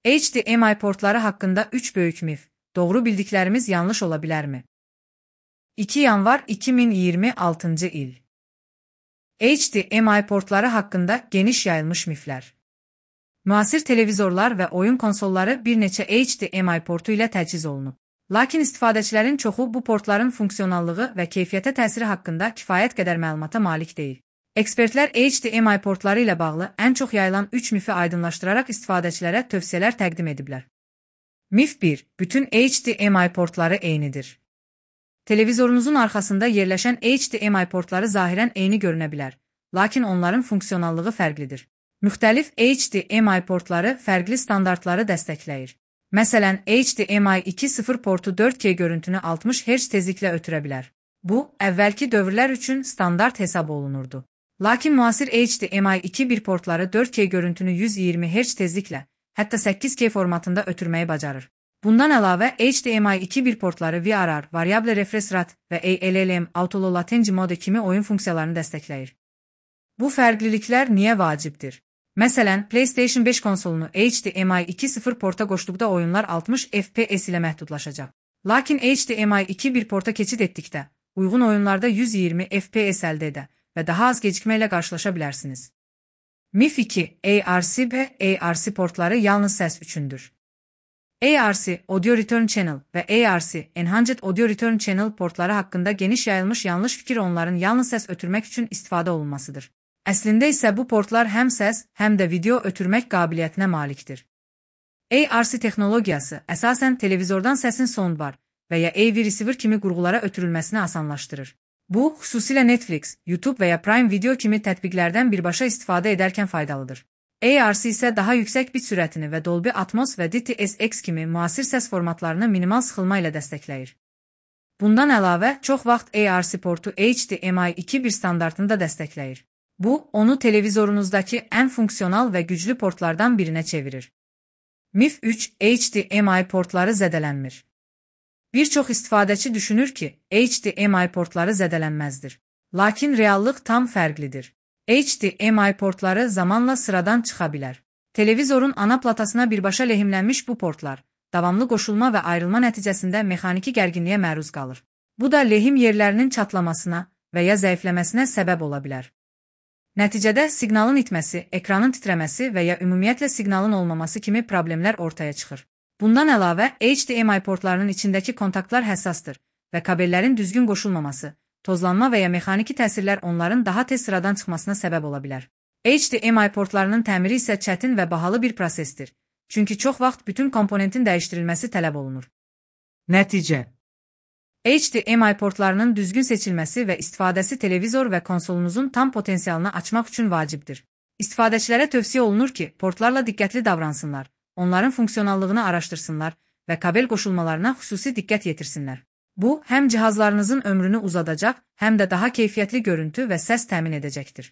HDMI portları hakkında 3 böyük mif. Doğru bildiklerimiz yanlış olabilir mi? 2 yanvar 2026 il. HDMI portları hakkında geniş yayılmış mifler. Müasir televizorlar və oyun konsolları bir neçə HDMI portu ilə təchiz olunub. Lakin istifadəçilərin çoxu bu portların funksionallığı və keyfiyyətə təsiri haqqında kifayət qədər məlumata malik deyil. Ekspertlər HDMI portları ilə bağlı ən çox yayılan 3 mifi aydınlaşdıraraq istifadəçilərə tövsiyələr təqdim ediblər. Mif 1. Bütün HDMI portları eynidir. Televizorunuzun arxasında yerləşən HDMI portları zahirən eyni görünə bilər, lakin onların funksionallığı fərqlidir. Müxtəlif HDMI portları fərqli standartları dəstəkləyir. Məsələn, HDMI 2.0 portu 4K görüntünü 60 Hz tezliklə ötürə bilər. Bu, əvvəlki dövrlər üçün standart hesab olunurdu. Lakin müasir HDMI 2.1 portları 4K görüntünü 120 Hz tezliklə, hətta 8K formatında ötürməyi bacarır. Bundan əlavə, HDMI 2.1 portları VRR, variable refresh rate və ALLM, autolow latency mode kimi oyun funksiyalarını dəstəkləyir. Bu fərqliliklər niyə vacibdir? Məsələn, PlayStation 5 konsolunu HDMI 2.0 porta qoşduqda oyunlar 60 FPS ilə məhdudlaşacaq. Lakin HDMI 2.1 porta keçid etdikdə, uyğun oyunlarda 120 FPS əldə edə və daha az gecikmə ilə qarşılaşa bilərsiniz. Mif 2. ARC və ARC portları yalnız səs üçündür. ARC, Audio Return Channel və ARC, Enhanced Audio Return Channel portları haqqında geniş yayılmış yanlış fikir onların yalnız səs ötürmək üçün istifadə olunmasıdır. Əslində isə bu portlar həm səs, həm də video ötürmək qabiliyyətinə malikdir. ARC texnologiyası əsasən televizordan səsin soundbar və ya AV receiver kimi qurğulara ötürülməsini asanlaşdırır. Bu, xüsusilə Netflix, YouTube və ya Prime Video kimi tətbiqlərdən birbaşa istifadə edərkən faydalıdır. ARC isə daha yüksək bit sürətini və Dolby Atmos və DTS:X kimi müasir səs formatlarını minimal sıxılma ilə dəstəkləyir. Bundan əlavə, çox vaxt ARC portu HDMI 2.1 standartını da dəstəkləyir. Bu, onu televizorunuzdakı ən funksional və güclü portlardan birinə çevirir. Mif 3. HDMI portları zədələnmir. Bir çox istifadəçi düşünür ki, HDMI portları zədələnməzdir. Lakin reallıq tam fərqlidir. HDMI portları zamanla sıradan çıxa bilər. Televizorun ana platasına birbaşa lehimlənmiş bu portlar, davamlı qoşulma və ayrılma nəticəsində mexaniki gərginliyə məruz qalır. Bu da lehim yerlərinin çatlamasına və ya zəifləməsinə səbəb ola bilər. Nəticədə siqnalın itməsi, ekranın titrəməsi və ya ümumiyyətlə siqnalın olmaması kimi problemlər ortaya çıxır. Bundan əlavə, HDMI portlarının içindəki kontaktlar həssasdır və kabellərin düzgün qoşulmaması, tozlanma və ya mexaniki təsirlər onların daha tez sıradan çıxmasına səbəb ola bilər. HDMI portlarının təmiri isə çətin və bahalı bir prosesdir, çünki çox vaxt bütün komponentin dəyişdirilməsi tələb olunur. Nəticə: HDMI portlarının düzgün seçilməsi və istifadəsi televizor və konsolunuzun tam potensialını açmaq üçün vacibdir. İstifadəçilərə tövsiyə olunur ki, portlarla diqqətli davransınlar, onların funksionallığını araşdırsınlar və kabel qoşulmalarına xüsusi diqqət yetirsinlər. Bu, həm cihazlarınızın ömrünü uzadacaq, həm də daha keyfiyyətli görüntü və səs təmin edəcəkdir.